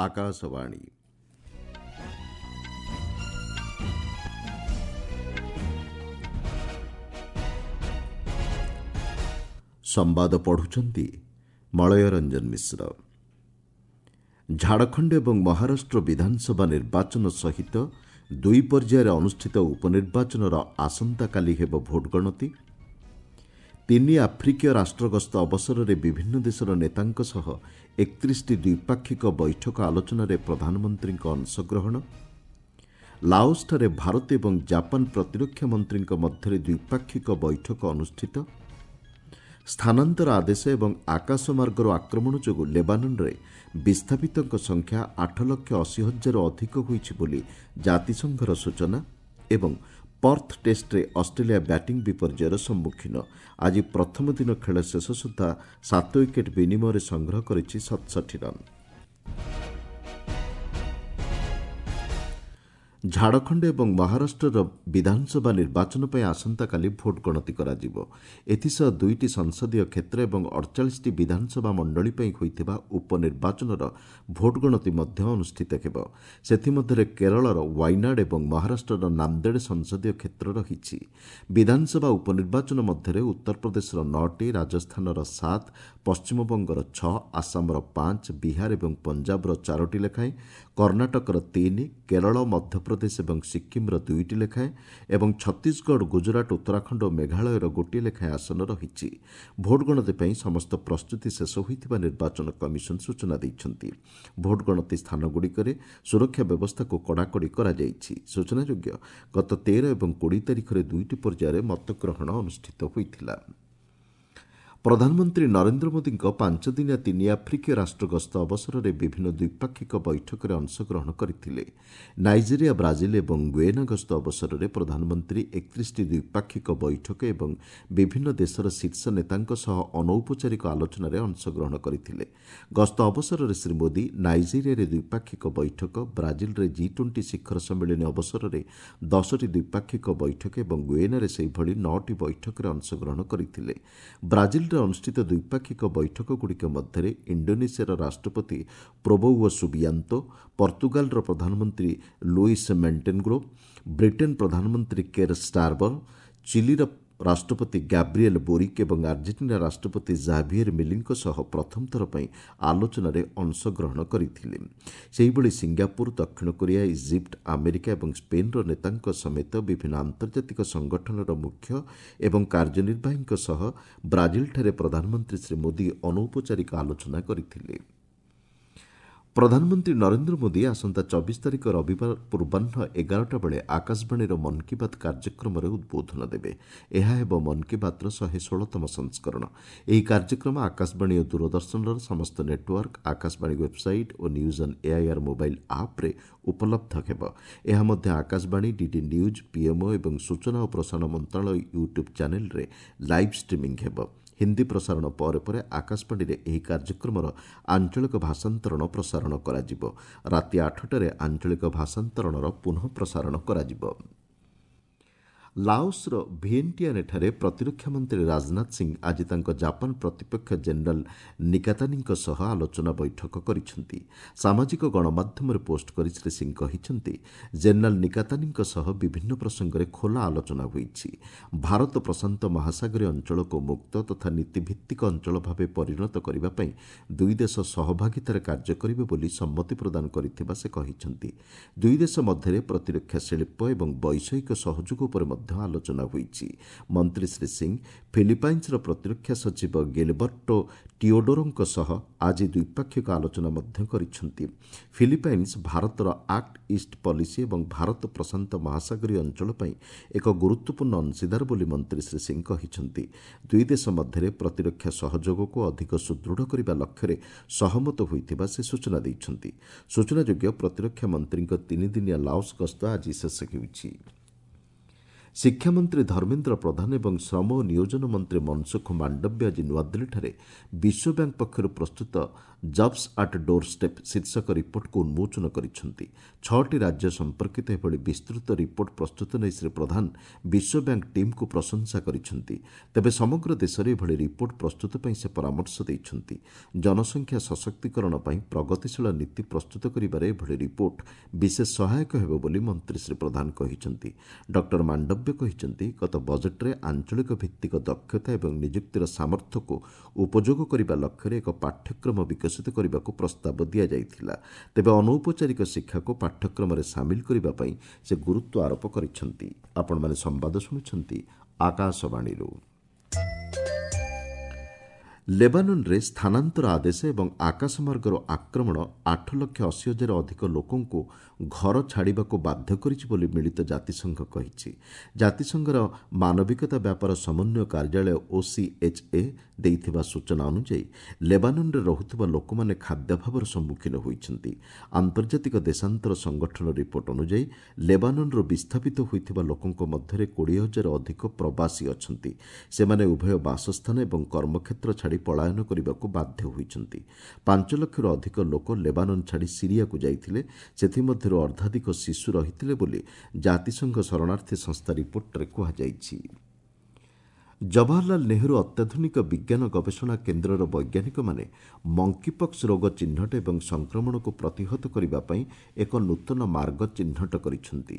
ଆକାଶବାଣୀ। ସମ୍ବାଦ ପଢ଼ୁଛନ୍ତି ମଳୟ ରଞ୍ଜନ ମିଶ୍ର। ଝାଡ଼ଖଣ୍ଡ ଏବଂ ମହାରାଷ୍ଟ୍ର ବିଧାନସଭା ନିର୍ବାଚନ ସହିତ ଦୁଇ ପର୍ଯ୍ୟାୟରେ ଅନୁଷ୍ଠିତ ଉପନିର୍ବାଚନର ଆସନ୍ତାକାଲି ହେବ ଭୋଟ ଗଣତି। ତିନି ଆଫ୍ରିକୀୟ ରାଷ୍ଟ୍ର ଗସ୍ତ ଅବସରରେ ବିଭିନ୍ନ ଦେଶର ନେତାଙ୍କ ସହ 31ଟି ଦ୍ୱିପାକ୍ଷିକ ବୈଠକ ଆଲୋଚନାରେ ପ୍ରଧାନମନ୍ତ୍ରୀଙ୍କ ଅଂଶଗ୍ରହଣ। ଲାଓସଠାରେ ଭାରତ ଏବଂ ଜାପାନ ପ୍ରତିରକ୍ଷା ମନ୍ତ୍ରୀଙ୍କ ମଧ୍ୟରେ ଦ୍ୱିପାକ୍ଷିକ ବୈଠକ ଅନୁଷ୍ଠିତ। ସ୍ଥାନାନ୍ତର ଆଦେଶ ଏବଂ ଆକାଶମାର୍ଗରୁ ଆକ୍ରମଣ ଯୋଗୁଁ ଲେବାନନରେ ବିସ୍ଥାପିତଙ୍କ ସଂଖ୍ୟା 8,80,000ରୁ ଅଧିକ ହୋଇଛି ବୋଲି ଜାତିସଂଘର ସୂଚନା। ଏବଂ ପର୍ଥ ଟେଷ୍ଟରେ ଅଷ୍ଟ୍ରେଲିଆ ବ୍ୟାଟିଂ ବିପର୍ଯ୍ୟୟର ସମ୍ମୁଖୀନ। ଆଜି ପ୍ରଥମ ଦିନ ଖେଳ ଶେଷ ସୁଦ୍ଧା 7 ୱିକେଟ୍ ବିନିମୟରେ ସଂଗ୍ରହ କରିଛି 67 ରନ୍। ଝାଡ଼ଖଣ୍ଡ ଏବଂ ମହାରାଷ୍ଟ୍ରର ବିଧାନସଭା ନିର୍ବାଚନ ପାଇଁ ଆସନ୍ତାକାଲି ଭୋଟ ଗଣତି କରାଯିବ। ଏଥିସହ ଦୁଇଟି ସଂସଦୀୟ କ୍ଷେତ୍ର ଏବଂ 48ଟି ବିଧାନସଭା ମଣ୍ଡଳୀ ପାଇଁ ହୋଇଥିବା ଉପନିର୍ବାଚନର ଭୋଟ ଗଣତି ମଧ୍ୟ ଅନୁଷ୍ଠିତ ହେବ। ସେଥିମଧ୍ୟରେ କେରଳର ୱାଇନାଡ୍ ଏବଂ ମହାରାଷ୍ଟ୍ରର ନାନ୍ଦେଡ଼ ସଂସଦୀୟ କ୍ଷେତ୍ର ରହିଛି। ବିଧାନସଭା ଉପନିର୍ବାଚନ ମଧ୍ୟରେ ଉତ୍ତରପ୍ରଦେଶର 9ଟି, ରାଜସ୍ଥାନର 7, ପଶ୍ଚିମବଙ୍ଗର 6, ଆସାମର 5, ବିହାର ଏବଂ ପଞ୍ଜାବର 4ଟି ଲେଖାଏଁ, କର୍ଣ୍ଣାଟକର 3, କେରଳ, ମଧ୍ୟପ୍ରଦେଶ ଏବଂ ସିକ୍କିମ୍ର 2ଟି ଲେଖାଏଁ ଏବଂ ଛତିଶଗଡ଼, ଗୁଜରାଟ, ଉତ୍ତରାଖଣ୍ଡ ଓ ମେଘାଳୟର ଗୋଟିଏ ଲେଖାଏଁ ଆସନ ରହିଛି। ଭୋଟ ଗଣତି ପାଇଁ ସମସ୍ତ ପ୍ରସ୍ତୁତି ଶେଷ ହୋଇଥିବା ନିର୍ବାଚନ କମିଶନ ସୂଚନା ଦେଇଛନ୍ତି। ଭୋଟ ଗଣତି ସ୍ଥାନଗୁଡ଼ିକରେ ସୁରକ୍ଷା ବ୍ୟବସ୍ଥାକୁ କଡ଼ାକଡ଼ି କରାଯାଇଛି। ସୂଚନାଯୋଗ୍ୟ, ଗତ 13 ଏବଂ 20 ତାରିଖରେ ଦୁଇଟି ପର୍ଯ୍ୟାୟରେ ମତଗ୍ରହଣ ଅନୁଷ୍ଠିତ ହୋଇଥିଲା। ପ୍ରଧାନମନ୍ତ୍ରୀ ନରେନ୍ଦ୍ର ମୋଦିଙ୍କ 5 ଦିନିଆ ତିନି ଆଫ୍ରିକୀୟ ରାଷ୍ଟ୍ର ଗସ୍ତ ଅବସରରେ ବିଭିନ୍ନ ଦ୍ୱିପାକ୍ଷିକ ବୈଠକରେ ଅଂଶଗ୍ରହଣ କରିଥିଲେ। ନାଇଜେରିଆ, ବ୍ରାଜିଲ ଏବଂ ଗୁଏନା ଗସ୍ତ ଅବସରରେ ପ୍ରଧାନମନ୍ତ୍ରୀ 31ଟି ଦ୍ୱିପାକ୍ଷିକ ବୈଠକ ଏବଂ ବିଭିନ୍ନ ଦେଶର ଶୀର୍ଷ ନେତାଙ୍କ ସହ ଅନୌପଚାରିକ ଆଲୋଚନାରେ ଅଂଶଗ୍ରହଣ କରିଥିଲେ। ଗସ୍ତ ଅବସରରେ ଶ୍ରୀ ମୋଦି ନାଇଜେରିଆରେ ଦ୍ୱିପାକ୍ଷିକ ବୈଠକ, ବ୍ରାଜିଲରେ ଜି-20 ଶିଖର ସମ୍ମିଳନୀ ଅବସରରେ 10ଟି ଦ୍ୱିପାକ୍ଷିକ ବୈଠକ ଏବଂ ଗୁଏନାରେ ସେହିଭଳି 9ଟି ବୈଠକରେ ଅଂଶଗ୍ରହଣ କରିଥିଲେ। ବ୍ରାଜିଲରେ ଅନୁଷ୍ଠିତ ଦ୍ୱିପାକ୍ଷିକ ବୈଠକଗୁଡ଼ିକ ମଧ୍ୟରେ ଇଣ୍ଡୋନେସିଆର ରାଷ୍ଟ୍ରପତି ପ୍ରୋବୋୱୋ ସୁବିଆନ୍ତୋ, ପର୍ତ୍ତୁଗାଲର ପ୍ରଧାନମନ୍ତ୍ରୀ ଲୁଇସ୍ ମେଣ୍ଟେନେଗ୍ରୋ, ବ୍ରିଟେନ୍ ପ୍ରଧାନମନ୍ତ୍ରୀ କେର୍ ଷ୍ଟାରମର, ଚିଲିର ରାଷ୍ଟ୍ରପତି ଗାବ୍ରିଏଲ୍ ବୋରିକ୍ ଏବଂ ଆର୍ଜେଣ୍ଟିନା ରାଷ୍ଟ୍ରପତି ଜାଭିଏର୍ ମିଲିଙ୍କ ସହ ପ୍ରଥମ ଥର ପାଇଁ ଆଲୋଚନାରେ ଅଂଶଗ୍ରହଣ କରିଥିଲେ। ସେହିଭଳି ସିଙ୍ଗାପୁର, ଦକ୍ଷିଣ କୋରିଆ, ଇଜିପ୍ଟ, ଆମେରିକା ଏବଂ ସ୍ପେନ୍ର ନେତାଙ୍କ ସମେତ ବିଭିନ୍ନ ଆନ୍ତର୍ଜାତିକ ସଂଗଠନର ମୁଖ୍ୟ ଏବଂ କାର୍ଯ୍ୟନିର୍ବାହୀଙ୍କ ସହ ବ୍ରାଜିଲଠାରେ ପ୍ରଧାନମନ୍ତ୍ରୀ ଶ୍ରୀ ମୋଦି ଅନୌପଚାରିକ ଆଲୋଚନା କରିଥିଲେ। ପ୍ରଧାନମନ୍ତ୍ରୀ ନରେନ୍ଦ୍ର ମୋଦି ଆସନ୍ତା 24 ତାରିଖ ରବିବାର ପୂର୍ବାହ୍ନ 11ଟା ବେଳେ ଆକାଶବାଣୀର ମନ୍ କି ବାତ୍ କାର୍ଯ୍ୟକ୍ରମରେ ଉଦ୍ବୋଧନ ଦେବେ। ଏହା ହେବ ମନ୍ କି ବାତ୍ର 116ତମ ସଂସ୍କରଣ। ଏହି କାର୍ଯ୍ୟକ୍ରମ ଆକାଶବାଣୀ ଓ ଦୂରଦର୍ଶନର ସମସ୍ତ network, Akashvani website O news on AIR mobile ଆପ୍ରେ ଉପଲବ୍ଧ ହେବ। ଏହା ମଧ୍ୟ ଆକାଶବାଣୀ, ଡିଡି ନ୍ୟୁଜ୍, ପିଏମ୍ଓ ଏବଂ ସୂଚନା ଓ ପ୍ରସାରଣ ମନ୍ତ୍ରଣାଳୟ ୟୁଟ୍ୟୁବ୍ ଚ୍ୟାନେଲ୍ରେ ଲାଇଭ୍ ଷ୍ଟ୍ରିମିଂ ହେବ। ହିନ୍ଦୀ ପ୍ରସାରଣ ପରେ ପରେ ଆକାଶବାଣୀରେ ଏହି କାର୍ଯ୍ୟକ୍ରମର ଆଞ୍ଚଳିକ ଭାଷାନ୍ତରଣ ପ୍ରସାରଣ କରାଯିବ। ରାତି 8ଟାରେ ଆଞ୍ଚଳିକ ଭାଷାନ୍ତରଣର ପୁନଃ ପ୍ରସାରଣ କରାଯିବ। ଲାଓସର ଭିଏନ୍ଟିଆନେଠାରେ ପ୍ରତିରକ୍ଷା ମନ୍ତ୍ରୀ ରାଜନାଥ ସିଂ ଆଜି ତାଙ୍କ ଜାପାନ ପ୍ରତିପକ୍ଷ ଜେନେରାଲ୍ ନିକାତାନୀଙ୍କ ସହ ଆଲୋଚନା ବୈଠକ କରିଛନ୍ତି। ସାମାଜିକ ଗଣମାଧ୍ୟମରେ ପୋଷ୍ଟ କରି ଶ୍ରୀ ସିଂ କହିଛନ୍ତି, ଜେନେରାଲ୍ ନିକାତାନୀଙ୍କ ସହ ବିଭିନ୍ନ ପ୍ରସଙ୍ଗରେ ଖୋଲା ଆଲୋଚନା ହୋଇଛି। ଭାରତ ପ୍ରଶାନ୍ତ ମହାସାଗରୀୟ ଅଞ୍ଚଳକୁ ମୁକ୍ତ ତଥା ନୀତିଭିତ୍ତିକ ଅଞ୍ଚଳ ଭାବେ ପରିଣତ କରିବା ପାଇଁ ଦୁଇ ଦେଶ ସହଭାଗିତାରେ କାର୍ଯ୍ୟ କରିବେ ବୋଲି ସମ୍ମତି ପ୍ରଦାନ କରିଥିବା ସେ କହିଛନ୍ତି। ଦୁଇ ଦେଶ ମଧ୍ୟରେ ପ୍ରତିରକ୍ଷା ଶିଳ୍ପ ଏବଂ ବୈଷୟିକ ସହଯୋଗ ଉପରେ ମଧ୍ୟ ଆଲୋଚନା ହୋଇଛି। ମନ୍ତ୍ରୀ ଶ୍ରୀ ସିଂ ଫିଲିପାଇନ୍ସର ପ୍ରତିରକ୍ଷା ସଚିବ ଗିଲବର୍ଟୋ ଟିଓଡୋରୋଙ୍କ ସହ ଆଜି ଦ୍ୱିପାକ୍ଷିକ ଆଲୋଚନା ମଧ୍ୟ କରିଛନ୍ତି। ଫିଲିପାଇନ୍ସ ଭାରତର ଆକ୍ଟ ଇଷ୍ଟ ପଲିସି ଏବଂ ଭାରତ ପ୍ରଶାନ୍ତ ମହାସାଗରୀୟ ଅଞ୍ଚଳ ପାଇଁ ଏକ ଗୁରୁତ୍ୱପୂର୍ଣ୍ଣ ଅଂଶୀଦାର ବୋଲି ମନ୍ତ୍ରୀ ଶ୍ରୀ ସିଂ କହିଛନ୍ତି। ଦୁଇ ଦେଶ ମଧ୍ୟରେ ପ୍ରତିରକ୍ଷା ସହଯୋଗକୁ ଅଧିକ ସୁଦୃଢ଼ କରିବା ଲକ୍ଷ୍ୟରେ ସହମତ ହୋଇଥିବା ସେ ସୂଚନା ଦେଇଛନ୍ତି। ସୂଚନାଯୋଗ୍ୟ, ପ୍ରତିରକ୍ଷା ମନ୍ତ୍ରୀଙ୍କ ତିନିଦିନିଆ ଲାଓସ୍ ଗସ୍ତ ଆଜି ଶେଷ ହେଉଛି। ଶିକ୍ଷାମନ୍ତ୍ରୀ ଧର୍ମେନ୍ଦ୍ର ପ୍ରଧାନ ଏବଂ ଶ୍ରମ ଓ ନିୟୋଜନ ମନ୍ତ୍ରୀ ମନସୁଖ ମାଣ୍ଡବ୍ୟ ଆଜି ନୂଆଦିଲ୍ଲୀଠାରେ ବିଶ୍ୱ ବ୍ୟାଙ୍କ ପକ୍ଷରୁ ପ୍ରସ୍ତୁତ ଜବ୍ସ ଆଟ୍ ଡୋର୍ ଷ୍ଟେପ୍ ଶୀର୍ଷକ ରିପୋର୍ଟକୁ ଉନ୍ମୋଚନ କରିଛନ୍ତି। 6ଟି ରାଜ୍ୟ ସମ୍ପର୍କିତ ଏଭଳି ବିସ୍ତୃତ ରିପୋର୍ଟ ପ୍ରସ୍ତୁତ ନେଇ ଶ୍ରୀ ପ୍ରଧାନ ବିଶ୍ୱ ବ୍ୟାଙ୍କ ଟିମ୍କୁ ପ୍ରଶଂସା କରିଛନ୍ତି। ତେବେ ସମଗ୍ର ଦେଶରେ ଏଭଳି ରିପୋର୍ଟ ପ୍ରସ୍ତୁତ ପାଇଁ ସେ ପରାମର୍ଶ ଦେଇଛନ୍ତି। ଜନସଂଖ୍ୟା ସଶକ୍ତିକରଣ ପାଇଁ ପ୍ରଗତିଶୀଳ ନୀତି ପ୍ରସ୍ତୁତ କରିବାରେ ଏଭଳି ରିପୋର୍ଟ ବିଶେଷ ସହାୟକ ହେବ ବୋଲି ମନ୍ତ୍ରୀ ଶ୍ରୀ ପ୍ରଧାନ କହିଛନ୍ତି। ଡକ୍ଟର ମାଣ୍ଡବ୍ୟ କହିଛନ୍ତି, ଗତ ବଜେଟ୍ରେ ଆଞ୍ଚଳିକ ଭିତ୍ତିକ ଦକ୍ଷତା ଏବଂ ନିଯୁକ୍ତିର ସାମର୍ଥ୍ୟକୁ ଉପଯୋଗ କରିବା ଲକ୍ଷ୍ୟରେ ଏକ ପାଠ୍ୟକ୍ରମ ବିକଶିତ କରିବାକୁ ପ୍ରସ୍ତାବ ଦିଆଯାଇଥିଲା। ତେବେ ଅନୌପଚାରିକ ଶିକ୍ଷାକୁ ପାଠ୍ୟକ୍ରମରେ ସାମିଲ କରିବା ପାଇଁ ସେ ଗୁରୁତ୍ୱ ଆରୋପ କରିଛନ୍ତି। ଆପଣମାନେ ସମ୍ବାଦ ଶୁଣୁଛନ୍ତି ଆକାଶବାଣୀରୁ। ଲେବାନନରେ ସ୍ଥାନାନ୍ତର ଆଦେଶ ଏବଂ ଆକାଶମାର୍ଗରୁ ଆକ୍ରମଣ 8,80,000 ଅଧିକ ଲୋକଙ୍କୁ ଘର ଛାଡ଼ିବାକୁ ବାଧ୍ୟ କରିଛି ବୋଲି ମିଳିତ ଜାତିସଂଘ କହିଛି। ଜାତିସଂଘର ମାନବିକତା ବ୍ୟାପାର ସମନ୍ୱୟ କାର୍ଯ୍ୟାଳୟ ଓସିଏଚ୍ଏ ଦେଇଥିବା ସୂଚନା ଅନୁଯାୟୀ ଲେବାନନରେ ରହୁଥିବା ଲୋକମାନେ ଖାଦ୍ୟାଭାବର ସମ୍ମୁଖୀନ ହୋଇଛନ୍ତି। ଆନ୍ତର୍ଜାତିକ ଦେଶାନ୍ତର ସଂଗଠନ ରିପୋର୍ଟ ଅନୁଯାୟୀ ଲେବାନନରୁ ବିସ୍ଥାପିତ ହୋଇଥିବା ଲୋକଙ୍କ ମଧ୍ୟରେ 20,000 ଅଧିକ ପ୍ରବାସୀ ଅଛନ୍ତି। ସେମାନେ ଉଭୟ ବାସସ୍ଥାନ ଏବଂ କର୍ମକ୍ଷେତ୍ର ଛାଡ଼ି ପଳାୟନ କରିବାକୁ ବାଧ୍ୟ ହୋଇଛନ୍ତି। 5 ଲକ୍ଷରୁ ଅଧିକ ଲୋକ ଲେବାନନ ଛାଡ଼ି ସିରିଆକୁ ଯାଇଥିଲେ। ସେଥିମଧ୍ୟରୁ ଅର୍ଦ୍ଧାଧିକ ଶିଶୁ ରହିଥିଲେ ବୋଲି ଜାତିସଂଘ ଶରଣାର୍ଥୀ ସଂସ୍ଥା ରିପୋର୍ଟରେ କୁହାଯାଇଛି। ଜବାହରଲାଲ ନେହେରୁ ଅତ୍ୟାଧୁନିକ ବିଜ୍ଞାନ ଗବେଷଣା କେନ୍ଦ୍ରର ବୈଜ୍ଞାନିକମାନେ ମଙ୍କିପକ୍ସ ରୋଗ ଚିହ୍ନଟ ଏବଂ ସଂକ୍ରମଣକୁ ପ୍ରତିହତ କରିବା ପାଇଁ ଏକ ନୂତନ ମାର୍ଗ ଚିହ୍ନଟ କରିଛନ୍ତି।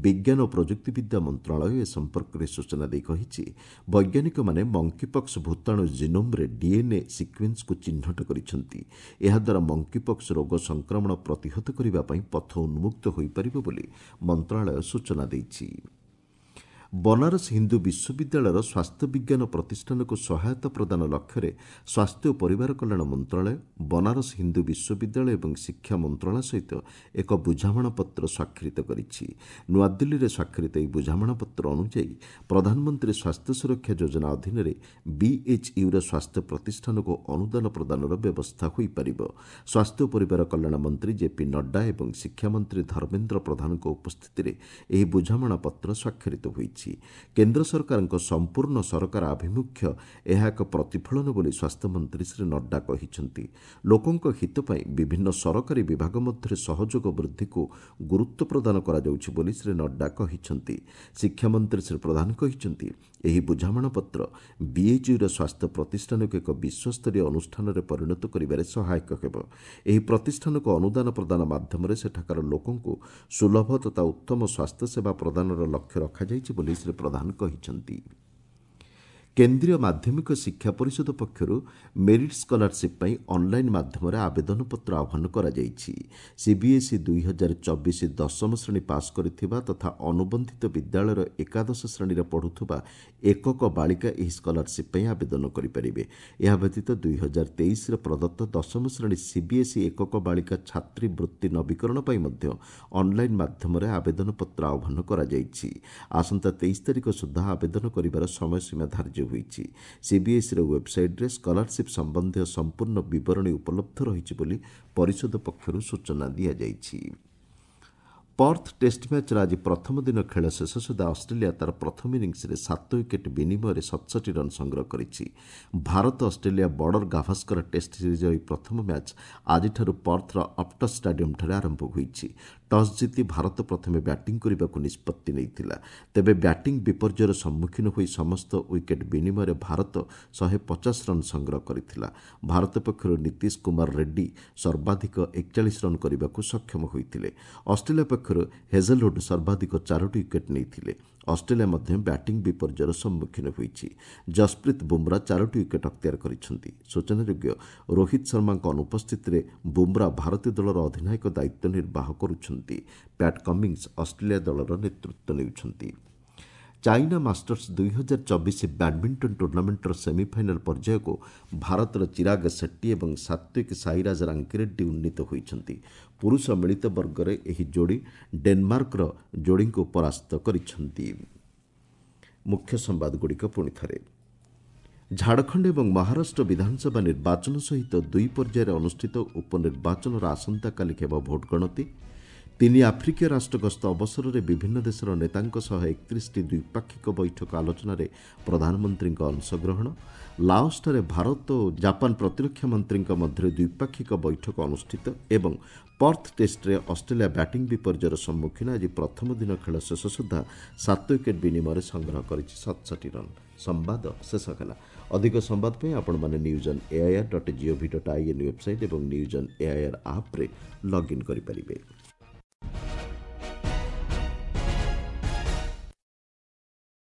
ବିଜ୍ଞାନ ଓ ପ୍ରଯୁକ୍ତିବିଦ୍ୟା ମନ୍ତ୍ରଣାଳୟ ଏ ସମ୍ପର୍କରେ ସୂଚନା ଦେଇ କହିଛି, ବୈଜ୍ଞାନିକମାନେ ମଙ୍କିପକ୍ସ ଭୂତାଣୁ ଜିନୋମ୍ରେ ଡିଏନ୍ଏ ସିକ୍ୱେନ୍ସକୁ ଚିହ୍ନଟ କରିଛନ୍ତି। ଏହାଦ୍ୱାରା ମଙ୍କିପକ୍ସ ରୋଗ ସଂକ୍ରମଣ ପ୍ରତିହତ କରିବା ପାଇଁ ପଥ ଉନ୍ମୁକ୍ତ ହୋଇପାରିବ ବୋଲି ମନ୍ତ୍ରଣାଳୟ ସୂଚନା ଦେଇଛି। ବନାରସ ହିନ୍ଦୁ ବିଶ୍ୱବିଦ୍ୟାଳୟର ସ୍ୱାସ୍ଥ୍ୟ ବିଜ୍ଞାନ ପ୍ରତିଷ୍ଠାନକୁ ସହାୟତା ପ୍ରଦାନ ଲକ୍ଷ୍ୟରେ ସ୍ୱାସ୍ଥ୍ୟ ଓ ପରିବାର କଲ୍ୟାଣ ମନ୍ତ୍ରଣାଳୟ ବନାରସ ହିନ୍ଦୁ ବିଶ୍ୱବିଦ୍ୟାଳୟ ଏବଂ ଶିକ୍ଷା ମନ୍ତ୍ରଣାଳୟ ସହିତ ଏକ ବୁଝାମଣାପତ୍ର ସ୍ୱାକ୍ଷରିତ କରିଛି। ନୂଆଦିଲ୍ଲୀରେ ସ୍ୱାକ୍ଷରିତ ଏହି ବୁଝାମଣାପତ୍ର ଅନୁଯାୟୀ ପ୍ରଧାନମନ୍ତ୍ରୀ ସ୍ୱାସ୍ଥ୍ୟ ସୁରକ୍ଷା ଯୋଜନା ଅଧୀନରେ ବିଏଚ୍ୟୁର ସ୍ୱାସ୍ଥ୍ୟ ପ୍ରତିଷ୍ଠାନକୁ ଅନୁଦାନ ପ୍ରଦାନର ବ୍ୟବସ୍ଥା ହୋଇପାରିବ। ସ୍ୱାସ୍ଥ୍ୟ ଓ ପରିବାର କଲ୍ୟାଣ ମନ୍ତ୍ରୀ ଜେପି ନଡ୍ଡା ଏବଂ ଶିକ୍ଷାମନ୍ତ୍ରୀ ଧର୍ମେନ୍ଦ୍ର ପ୍ରଧାନଙ୍କ ଉପସ୍ଥିତିରେ ଏହି ବୁଝାମଣାପତ୍ର ସ୍ୱାକ୍ଷରିତ ହୋଇଛି। କେନ୍ଦ୍ର ସରକାରଙ୍କ ସମ୍ପୂର୍ଣ୍ଣ ସରକାର ଆଭିମୁଖ୍ୟ ଏହା ଏକ ପ୍ରତିଫଳନ ବୋଲି ସ୍ୱାସ୍ଥ୍ୟମନ୍ତ୍ରୀ ଶ୍ରୀ ନଡ୍ଡା କହିଛନ୍ତି। ଲୋକଙ୍କ ହିତ ପାଇଁ ବିଭିନ୍ନ ସରକାରୀ ବିଭାଗ ମଧ୍ୟରେ ସହଯୋଗ ବୃଦ୍ଧିକୁ ଗୁରୁତ୍ୱ ପ୍ରଦାନ କରାଯାଉଛି ବୋଲି ଶ୍ରୀ ନଡ୍ଡା କହିଛନ୍ତି। ଶିକ୍ଷାମନ୍ତ୍ରୀ ଶ୍ରୀ ପ୍ରଧାନ କହିଛନ୍ତି, ଏହି ବୁଝାମଣାପତ୍ର ବିଏଚ୍ୟୁର ସ୍ୱାସ୍ଥ୍ୟ ପ୍ରତିଷ୍ଠାନକୁ ଏକ ବିଶ୍ୱସ୍ତରୀୟ ଅନୁଷ୍ଠାନରେ ପରିଣତ କରିବାରେ ସହାୟକ ହେବ। ଏହି ପ୍ରତିଷ୍ଠାନକୁ ଅନୁଦାନ ପ୍ରଦାନ ମାଧ୍ୟମରେ ସେଠାକାର ଲୋକଙ୍କୁ ସୁଲଭ ତଥା ଉତ୍ତମ ସ୍ୱାସ୍ଥ୍ୟସେବା ପ୍ରଦାନର ଲକ୍ଷ୍ୟ ରଖାଯାଇଛି ବୋଲି ଶ୍ରୀ ପ୍ରଧାନ କହିଛନ୍ତି। କେନ୍ଦ୍ରୀୟ ମାଧ୍ୟମିକ ଶିକ୍ଷା ପରିଷଦ ପକ୍ଷରୁ ମେରିଟ୍ ସ୍କଲାରସିପ୍ ପାଇଁ ଅନ୍ଲାଇନ୍ ମାଧ୍ୟମରେ ଆବେଦନପତ୍ର ଆହ୍ୱାନ କରାଯାଇଛି। ସିବିଏସ୍ଇ 2024 ଦଶମ ଶ୍ରେଣୀ ପାସ୍ କରିଥିବା ତଥା ଅନୁବନ୍ଧିତ ବିଦ୍ୟାଳୟର ଏକାଦଶ ଶ୍ରେଣୀରେ ପଢ଼ୁଥିବା ଏକକ ବାଳିକା ଏହି ସ୍କଲାରସିପ୍ ପାଇଁ ଆବେଦନ କରିପାରିବେ। ଏହା ବ୍ୟତୀତ 2023ରେ ପ୍ରଦତ୍ତ ଦଶମ ଶ୍ରେଣୀ ସିବିଏସ୍ଇ ଏକକ ବାଳିକା ଛାତ୍ରୀ ବୃତ୍ତି ନବୀକରଣ ପାଇଁ ମଧ୍ୟ ଅନ୍ଲାଇନ୍ ମାଧ୍ୟମରେ ଆବେଦନପତ୍ର ଆହ୍ୱାନ କରାଯାଇଛି। ଆସନ୍ତା 23 ତାରିଖ ସୁଦ୍ଧା ଆବେଦନ କରିବାର ସମୟସୀମା ଧାର୍ଯ୍ୟ ହୋଇଛି। ସିବିଏସ୍ଇର ୱେବ୍ସାଇଟ୍ରେ ସ୍କଲାରସିପ୍ ସମ୍ବନ୍ଧୀୟ ସମ୍ପୂର୍ଣ୍ଣ ବିବରଣୀ ଉପଲବ୍ଧ ରହିଛି ବୋଲି ପରିଷଦ ପକ୍ଷରୁ ସୂଚନା ଦିଆଯାଇଛି। ପର୍ଥ ଟେଷ୍ଟ ମ୍ୟାଚ୍ର ଆଜି ପ୍ରଥମ ଦିନ ଖେଳ ଶେଷ ସୁଦ୍ଧା ଅଷ୍ଟ୍ରେଲିଆ ତା'ର ପ୍ରଥମ ଇନିଂସରେ 7 ୱିକେଟ୍ ବିନିମୟରେ 67 ରନ୍ ସଂଗ୍ରହ କରିଛି। Bharat Australia border Gavaskar test ସିରିଜ୍ର ଏହି ପ୍ରଥମ ମ୍ୟାଚ୍ ଆଜିଠାରୁ ପର୍ଥର ଅପ୍ଟସ୍ ଷ୍ଟାଡିୟମ୍ଠାରେ ଆରମ୍ଭ ହୋଇଛି। ଟସ୍ ଜିତି ଭାରତ ପ୍ରଥମେ ବ୍ୟାଟିଂ କରିବାକୁ ନିଷ୍ପତ୍ତି ନେଇଥିଲା। ତେବେ ବ୍ୟାଟିଂ ବିପର୍ଯ୍ୟୟର ସମ୍ମୁଖୀନ ହୋଇ ସମସ୍ତ ୱିକେଟ୍ ବିନିମୟରେ ଭାରତ 150 ରନ୍ ସଂଗ୍ରହ କରିଥିଲା। ଭାରତ ପକ୍ଷରୁ ନୀତିଶ କୁମାର ରେଡ୍ଡି ସର୍ବାଧିକ 41 ରନ୍ କରିବାକୁ ସକ୍ଷମ ହୋଇଥିଲେ। ଅଷ୍ଟ୍ରେଲିଆ ପକ୍ଷରୁ ହେଜେଲଉଡ୍ ସର୍ବାଧିକ 4ଟି ୱିକେଟ୍ ନେଇଥିଲେ। ଅଷ୍ଟ୍ରେଲିଆ ମଧ୍ୟ ବ୍ୟାଟିଂ ବିପର୍ଯ୍ୟୟର ସମ୍ମୁଖୀନ ହୋଇଛି। ଜସପ୍ରୀତ ବୁମ୍ରା 4ଟି ୱିକେଟ୍ ଅକ୍ତିଆର କରିଛନ୍ତି। ସୂଚନାଯୋଗ୍ୟ, ରୋହିତ ଶର୍ମାଙ୍କ ଅନୁପସ୍ଥିତିରେ ବୁମ୍ରା ଭାରତୀୟ ଦଳର ଅଧିନାୟକ ଦାୟିତ୍ୱ ନିର୍ବାହ କରୁଛନ୍ତି। ପ୍ୟାଟ୍ କମିଂସ ଅଷ୍ଟ୍ରେଲିଆ ଦଳର ନେତୃତ୍ୱ ନେଉଛନ୍ତି। ଚାଇନା ମାଷ୍ଟର୍ସ 2024 ବ୍ୟାଡମିଣ୍ଟନ ଟୁର୍ଣ୍ଣାମେଣ୍ଟର ସେମିଫାଇନାଲ ପର୍ଯ୍ୟାୟକୁ ଭାରତର ଚିରାଗ ସେଟ୍ଟି ଏବଂ ସାତ୍ୱିକ ସାଇରାଜ ରାଙ୍କିରେଡ୍ଡି ଉନ୍ନୀତ ହୋଇଛନ୍ତି। ପୁରୁଷ ମିଳିତ ବର୍ଗରେ ଏହି ଯୋଡ଼ି ଡେନମାର୍କର ଯୋଡ଼ିଙ୍କୁ ପରାସ୍ତ କରିଛନ୍ତି। ମୁଖ୍ୟ ସମ୍ବାଦଗୁଡ଼ିକ ପୁଣି ଥରେ। ଝାଡ଼ଖଣ୍ଡ ଏବଂ ମହାରାଷ୍ଟ୍ର ବିଧାନସଭା ନିର୍ବାଚନ ସହିତ 2 ପର୍ଯ୍ୟାୟରେ ଅନୁଷ୍ଠିତ ଉପନିର୍ବାଚନର ଆସନ୍ତାକାଲି ହେବ ଭୋଟ ଗଣତି। ତିନି ଆଫ୍ରିକୀୟ ରାଷ୍ଟ୍ର ଗସ୍ତ ଅବସରରେ ବିଭିନ୍ନ ଦେଶର ନେତାଙ୍କ ସହ 31ଟି ଦ୍ୱିପାକ୍ଷିକ ବୈଠକ ଆଲୋଚନାରେ ପ୍ରଧାନମନ୍ତ୍ରୀଙ୍କ ଅଂଶଗ୍ରହଣ। ଲାଓସଠାରେ ଭାରତ ଓ ଜାପାନ ପ୍ରତିରକ୍ଷା ମନ୍ତ୍ରୀଙ୍କ ମଧ୍ୟରେ ଦ୍ୱିପାକ୍ଷିକ ବୈଠକ ଅନୁଷ୍ଠିତ। ଏବଂ ପର୍ଥ ଟେଷ୍ଟରେ ଅଷ୍ଟ୍ରେଲିଆ ବ୍ୟାଟିଂ ବିପର୍ଯ୍ୟୟର ସମ୍ମୁଖୀନ। ଆଜି ପ୍ରଥମ ଦିନ ଖେଳ ଶେଷ ସୁଦ୍ଧା 7 ୱିକେଟ୍ ବିନିମୟରେ ସଂଗ୍ରହ କରିଛି 67 ରନ୍। ସମ୍ବାଦ ଶେଷ ହେଲା। ଅଧିକ ସମ୍ବାଦ ପାଇଁ ଆପଣମାନେ news on AIR dot GOV dot IN website ଏବଂ ନ୍ୟୁଜ୍ ଅନ୍ ଏଆଇଆର୍ ଆପ୍ରେ ଲଗ୍ଇନ୍ କରିପାରିବେ।